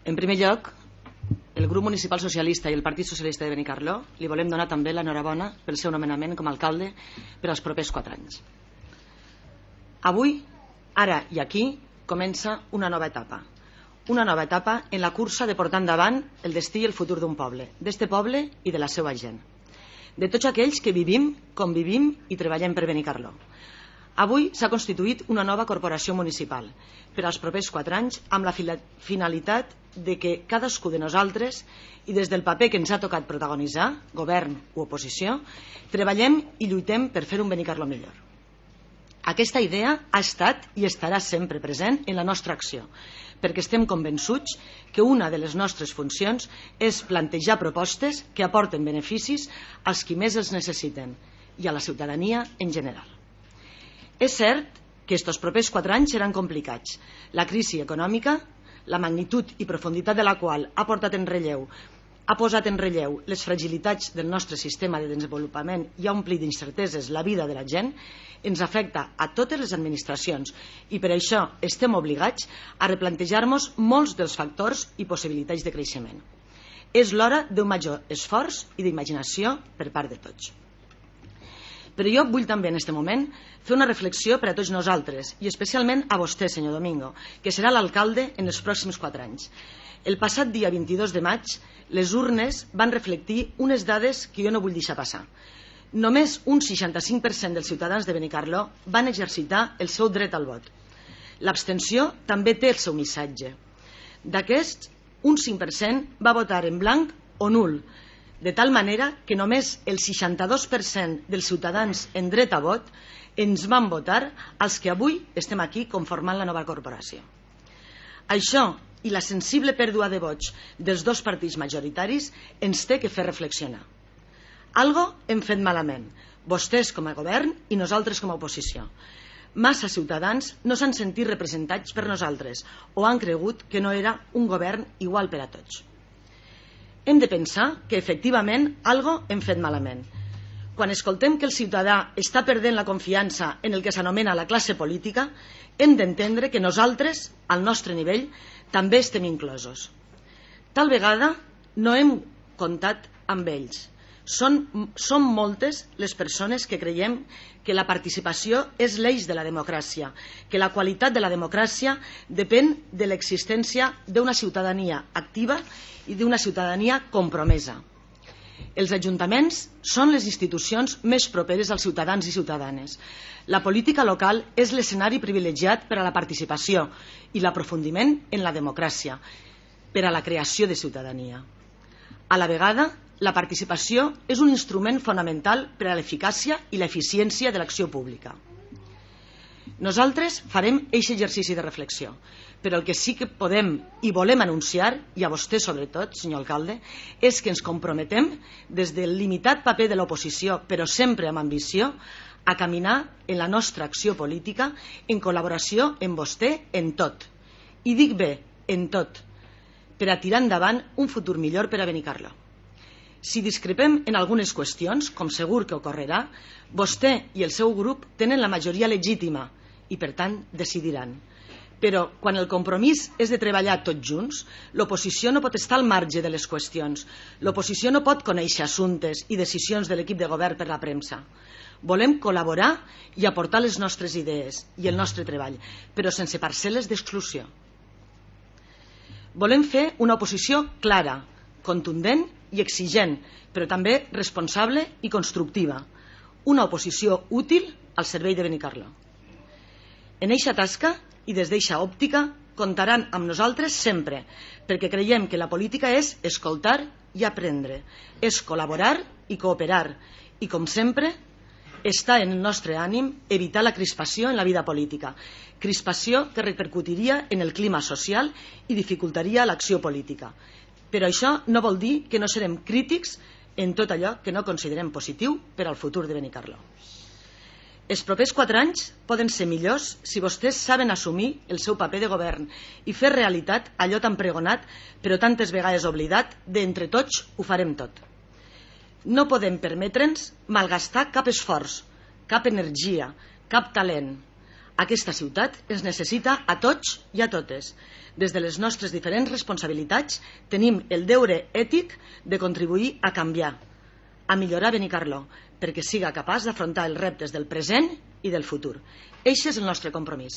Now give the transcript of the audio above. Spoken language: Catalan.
En primer lloc, el grup municipal socialista i el Partit Socialista de Benicarló li volem donar també l'enhorabona pel seu nomenament com a alcalde per als propers 4 anys. Avui, ara i aquí, comença una nova etapa. Una nova etapa en la cursa de portar endavant el destí i el futur d'un poble, d'este poble i de la seva gent. De tots aquells que vivim, convivim i treballem per Benicarló. Avui s'ha constituït una nova corporació municipal per als propers 4 anys amb la finalitat de que cadascú de nosaltres i des del paper que ens ha tocat protagonitzar, govern o oposició, treballem i lluitem per fer un Benicarló millor. Aquesta idea ha estat i estarà sempre present en la nostra acció, perquè estem convençuts que una de les nostres funcions és plantejar propostes que aporten beneficis als qui més els necessiten i a la ciutadania en general. És cert que estos propers 4 anys seran complicats. La crisi econòmica, la magnitud i profunditat de la qual ha posat en relleu les fragilitats del nostre sistema de desenvolupament i ha omplit d'incerteses la vida de la gent, ens afecta a totes les administracions i per això estem obligats a replantejar-nos molts dels factors i possibilitats de creixement. És l'hora d'un major esforç i d'imaginació per part de tots. Però jo vull també en aquest moment fer una reflexió per a tots nosaltres i especialment a vostè, senyor Domingo, que serà l'alcalde en els pròxims 4 anys. El passat dia 22 de maig, les urnes van reflectir unes dades que jo no vull deixar passar. Només un 65% dels ciutadans de Benicarló van exercitar el seu dret al vot. L'abstenció també té el seu missatge. D'aquests, un 5% va votar en blanc o nul, de tal manera que només el 62% dels ciutadans en dret a vot ens van votar els que avui estem aquí conformant la nova corporació. Això i la sensible pèrdua de vots dels dos partits majoritaris ens té que fer reflexionar. Algo hem fet malament, vostès com a govern i nosaltres com a oposició. Massa ciutadans no s'han sentit representats per nosaltres o han cregut que no era un govern igual per a tots. Hem de pensar que efectivament algo hem fet malament. Quan escoltem que el ciutadà està perdent la confiança en el que s'anomena la classe política, hem d'entendre que nosaltres, al nostre nivell, també estem inclosos. Tal vegada no hem comptat amb ells. Són moltes les persones que creiem que la participació és l'eix de la democràcia, que la qualitat de la democràcia depèn de l'existència d'una ciutadania activa i d'una ciutadania compromesa. Els ajuntaments són les institucions més properes als ciutadans i ciutadanes. La política local és l'escenari privilegiat per a la participació i l'aprofundiment en la democràcia, per a la creació de ciutadania. A la vegada, la participació és un instrument fonamental per a l'eficàcia i l'eficiència de l'acció pública. Nosaltres farem aquest exercici de reflexió, però el que sí que podem i volem anunciar, i a vostè sobretot, senyor alcalde, és que ens comprometem des del limitat paper de l'oposició, però sempre amb ambició, a caminar en la nostra acció política en col·laboració amb vostè en tot. I dic bé, en tot, per a tirar endavant un futur millor per a Benicarló. Si discrepem en algunes qüestions, com segur que ocorrerà, vostè i el seu grup tenen la majoria legítima i, per tant, decidiran. Però, quan el compromís és de treballar tots junts, l'oposició no pot estar al marge de les qüestions. L'oposició no pot conèixer assumptes i decisions de l'equip de govern per la premsa. Volem col·laborar i aportar les nostres idees i el nostre treball, però sense parcel·les d'exclusió. Volem fer una oposició clara, contundent i exigent, però també responsable i constructiva. Una oposició útil al servei de Benicarló. En eixa tasca i des d'eixa òptica comptaran amb nosaltres sempre, perquè creiem que la política és escoltar i aprendre, és col·laborar i cooperar, i com sempre està en el nostre ànim evitar la crispació en la vida política, crispació que repercutiria en el clima social i dificultaria l'acció política. Però això no vol dir que no serem crítics en tot allò que no considerem positiu per al futur de Benicarló. Els propers 4 anys poden ser millors si vostès saben assumir el seu paper de govern i fer realitat allò tan pregonat, però tantes vegades oblidat, d'entre tots ho farem tot. No podem permetre'ns malgastar cap esforç, cap energia, cap talent. Aquesta ciutat ens necessita a tots i a totes. Des de les nostres diferents responsabilitats tenim el deure ètic de contribuir a canviar, a millorar Benicarló, perquè siga capaç d'afrontar els reptes del present i del futur. Eixe és el nostre compromís.